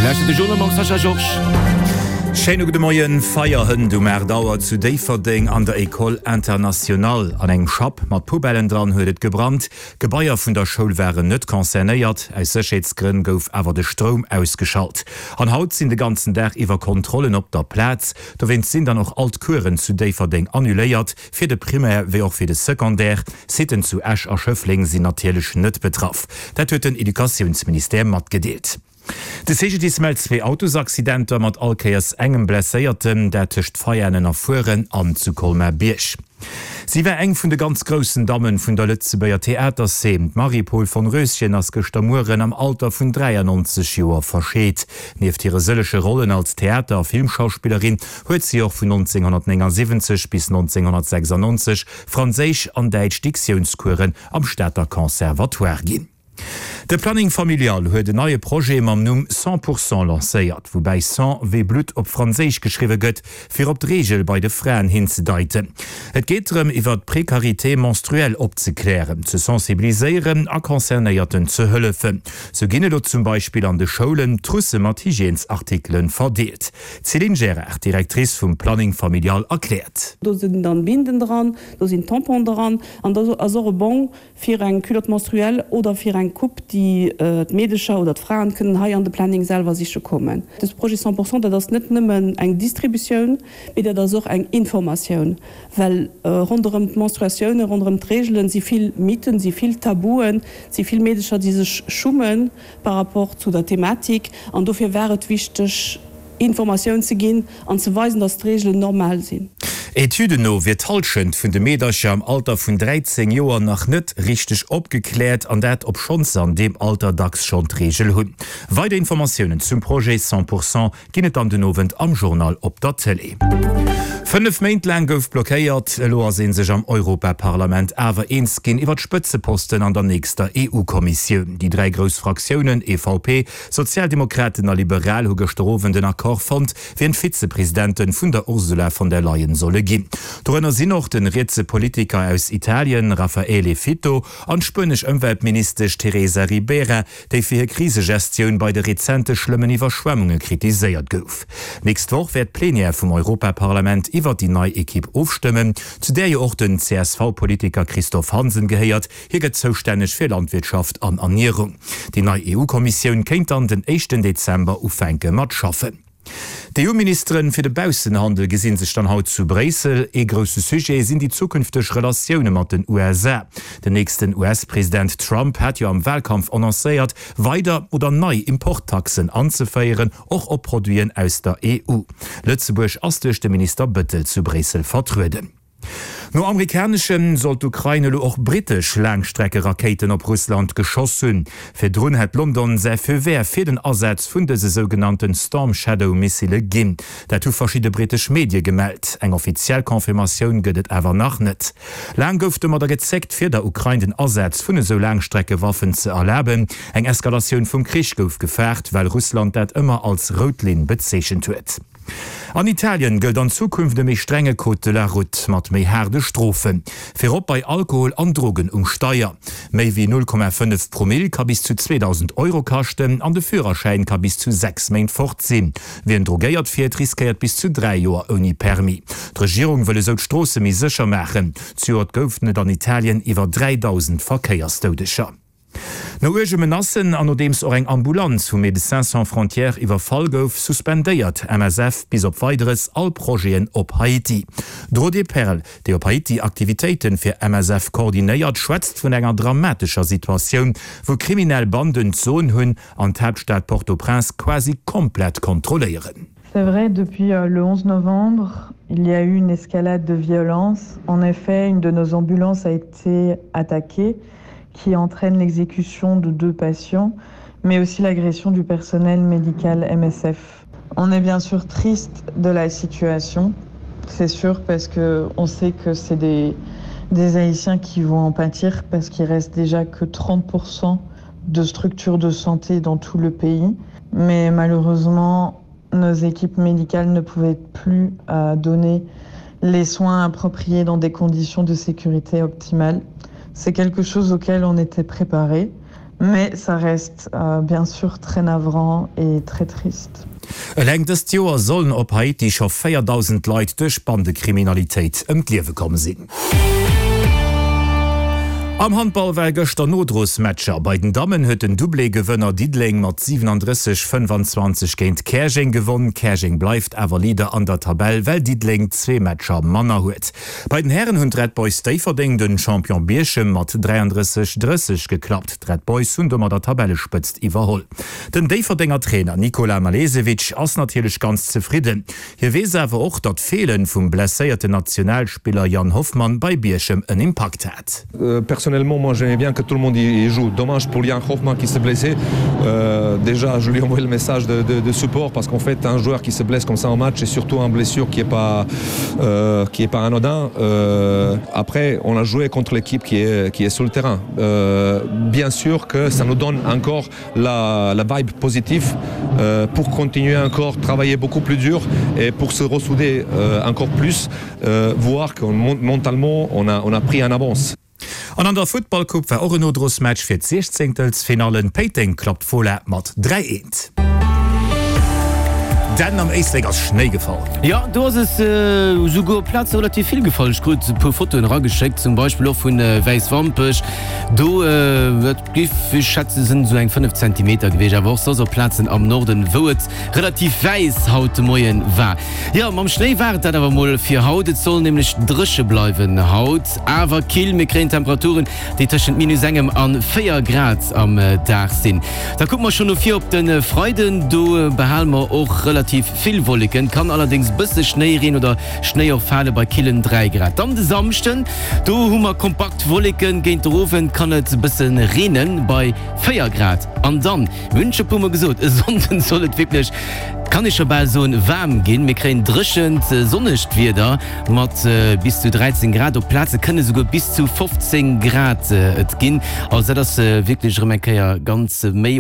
Lauschtert de Journal mam Sascha Georges. Schéine gudde Moien. Feier hënt um 8 Auer zu Déifferdeng an der École Internationale. An engem Schapp mat Poubellen dran huet et gebrannt. D'Gebaier vun der Schoul waren net concernéiert. Aus Sécherheetsgrënn gouf awer de Stroum ausgeschalt. An haut sinn de ganzen Dag iwwer Kontrollen op der Plaz. Dowéinst sinn dann och all d'Coursen zu Déifferdeng annuléiert. Fir de Primaire wéi och fir de Secondaire. Sitten zu Esch a Schëffleng sinn natierlech net betraff. Dat huet den Educatiounsministère matgedeelt. De CGDIS mellt zwee Autosaccidenter mat all Kéiers engem Blesséierten, dat tëscht Veianen a Fueren an zu Colmar-Bierg. Si war eng vun de ganz groussen Dammen vun der Lëtzebuerger Theaterzeen. D'Marie-Paule von Röschen ass gëschter Mueren am Alter vun 93 Joer verscheet. Nieft hire sëllege Rollen als Theater a Filmschauspillerin huet si och vun 1979 bis 1996 franséisch an däitsch Diktiounscoursen am Stater Conservatoire ginn. De Planning Familial huet en neie Projet mam Numm Cent pour cent lancéiert, woubäi Sang wéi Blutt op Franséisch geschriwwe gëtt, fir op d'Reegel bei de Fraen hinzedeiten. Et geet drëm, iwwer d'Precarité menstruelle opzeklären, ze sensibiliséieren a Concernéierten ze hëllefen. Sou ginn elo zum Beispill an de Schoulen Trousse mat Hygiènesartikele verdeelt. D'Céline Gerard, Directrice vum Planning Familial, erkläert. Do sinn dann Binden dran, do sinn Tamponen dran an do ass och e Bong fir eng Culotte menstruelle oder fir eng Coupe, déi d'Meedecher oder d'Fraen kënnen hei an de Planning selwer siche kommen. Dës Projet 100 pour cent, dat ass net nëmmen eng Distributioun, mee dat ass och eng Informatioun, well ronderëm d'Menstruatiounen, ronderëm d'Reegelen si vill Mythen, si vill Tabuen, si vill Meedecher, déi sech schummen. par rapport zu der Thematik an dofir war et wichteg Informatioun ze ginn an ze weisen, dass d'Reegelen normal sinn. Etüden no wier d'Hallschent vun de Meedercher am Alter vun 13 Joer nach net richteg opgekläert, an dat obschonns se an deem Alter dacks schonn d'Reegel hunn. Weider Informatiounen zum Projet 100 pour cent Ginn et dann den Owend am Journal op der Tëlee. 5 Méint laang gouf blockéiert, elo ass ee sech am Europaparlament awer eens ginn iwwer d'Spëtzeposten an der nächster EU-Kommissioun. Déi 3 grouss Fraktiounen EVP, Sozialdemokraten a Liberal hu gëschter Owend en Accord fonnt, wien d'Vizepresidente vun der Ursula von der Leyen solle ginn. Dorënner sinn och de rietse Politiker aus Italien Raffaele Fitto an d'spuenesch Ëmweltministesch Teresa Ribera, déi fir hir Krisegestioun bei de rezente schlëmmen Iwwerschwemmunge kritiséiert gouf. D'nächst Woch wäert d'Plenière vum Europaparlament iwwert déi nei Ekipp ofstëmmen, zu där jo och den CSV-Politiker Christophe Hansen gehéiert. Hie gëtt zoustänneg fir Landwirtschaft an Ernierung. Déi nei EU-Kommissioun kéint dann den éischten Dezember ufänke mat schaffen. D'EU-Ministeren fir de Baussenhandel gesinn sech dann haut zu Bréissel. Ee grousse Sujet sinn déi zukünfteg Relatioune mat den USA. Den nächsten US-President Trump hat jo am Wahlkampf annoncéiert, weider oder nei Importtaxen anzeféieren, och op Produiten aus der EU. Lëtzebuerg ass duerch de Minister Bëttel zu Bréissel vertrueden. No amerikaneschen soll d'Ukrain elo och brittesch Laangstreckerakéiten op Russland geschoss hunn. Virdrun hätt London säi Feu vert fir den Asaz vun dëse sougenannte Storm Shadow Missile ginn. Dat hu verschidde brittesch Medie gemellt. Eng offiziell Confirmatioun gëtt et awer nach net. Laang gouf domadder gezéckt, fir der Ukrain den Asaz vun esou Laangstreckewaffen ze erlaben. Eng Eskalatioun vum Krich gouf gefaart, well Russland dat ëmmer als rout Linn bezeechent huet. An Italien gëllt an Zukunft e méi strenge Code de la route mat méi haarde Strofen, virop bei Alkohol an Drogen um Steier. Méi wéi 0,5 Promill ka bis zu 2.000 Euro kaschten an de Führerschäin ka bis zu 6 Méint fort sinn. Wien drogéiert fiert, riskéiert bis zu 3 Joer ouni Permis. D'Regierung wëll esou d'Stroosse méi sécher maachen. Zejoert goufen et an Italien iwwer 3.000 Verkéiersdoudeger. No uerge Menacen an nodeems och eng Ambulanz vu Médecins Sans Frontières iwwerfall gouf, suspendéiert MSF bis op Weideres all Projeten op Haiti. D'Rodée Perl, déi op Haiti Aktivitéite fir MSF koordinéiert, schwätzt vun enger dramatescher Situatioun, wou kriminell Banden d'Soen hunn an d'Haaptstad Port-au-Prince quasi komplett kontrolléieren. C'est vrai, depuis euh, le 11 novembre, il y a eu une escalade de violence. En effet, une de nos ambulances a été attaquée qui entraîne l'exécution de deux patients, mais aussi l'agression du personnel médical MSF. On est bien sûr triste de la situation, c'est sûr parce que on sait que c'est des, des Haïtiens qui vont en pâtir parce qu'il reste déjà que 30% de structures de santé dans tout le pays. Mais malheureusement, nos équipes médicales ne pouvaient plus euh, donner les soins appropriés dans des conditions de sécurité optimales. C'est quelque chose auquel on était préparé. Mais ça reste euh, bien sûr très navrant et très triste. Eleng dëst Joer sollen op Haiti scho 4.000 Leit duerch Bandekriminalitéit ëm d'Liewe komm sinn. Am Handball ware gëschter Nodrosmatcher. Bei den Dammen huet den Doublé-Gewënner Diddeleng mat 37, 25 géint Käerjeng gewonn. Käerjeng bleift awer Leader an der Tabell, well Diddeleng zwee Matcher manner huet. Bei den Hären hunn d'Red Boys Déifferdeng den Champion Bierchem mat 33, 30 geklappt. D'Red Boys hunn domadder d'Tabellespëtzt iwwerholl. Den Déifferdenger Trainer Nikola Malesevic ass natierlech ganz zefridden. Hie weess awer och, datt d'Feelen vum blesséierten Nationalspiller Yann Hoffmann bei Bierchem en Impakt hat. Personnellement moi j'aimais bien que tout le monde y joue. Dommage pour Yann Hoffmann qui s'est blessé. Euh, déjà je lui envoie le message de, de, de support parce qu'en fait un joueur qui se blesse comme ça en match et surtout en blessure qui est pas euh, qui est pas anodin. Euh, après on a joué contre l'équipe qui est, qui est sur le terrain. Euh, bien sûr que ça nous donne encore la, la vibe positive euh, pour continuer encore travailler beaucoup plus dur et pour se ressouder euh, encore plus euh, voir qu'on mentalement on a, on a pris en avance. An an der Futtballcoupe war och en Nodrosmatch fir d'Siechzéngtelsfinallen. Péiteng klappt Fola mat 3, 1. Denn am Éislek ass Schnéi gefall. Jo, do ass es esouguer op Plaze relativ vill gefall. Ech krut e puer Fotoen erageschéckt, zum Beispill och vu Wäiswampech. Do, dat géif ech schätzen, sinn esou eng 5 Zentimeter gewiescht. Awer och soss op Plazen am Norden, wou et relativ wäiss haut de Moie war. Jo, mam Schnéi war et dat awer mol fir haut. Et soll nämlech dréche bleiwen haut, awer kill. Mir kréien Temperaturen, déi tëschent minus engem an 4 Grad am Dag sinn. Da kucke mer schonn no vir op de Freiden, do behale mer och relativ vill Wolleken, kann allerdéngs bësse Schnéireen oder Schnéi och fale bei killen 3 Grad. Dann de Samschden, do hu mer kompakt Wolleken, géint de Owend kann et bësse reene bei 4 Grad. An dann, mir hunn et scho puer mol gesot, e Sonnden soll et wierklech, kann ee scho bal soen, waarm ginn. Mir kréien dréchent, sonnegt Wieder mat bis zu 13 Grad, op Plaze kënne souguer bis zu 15 Grad et ginn. Also dat ass wierklech erëm eng Kéier ganz méi.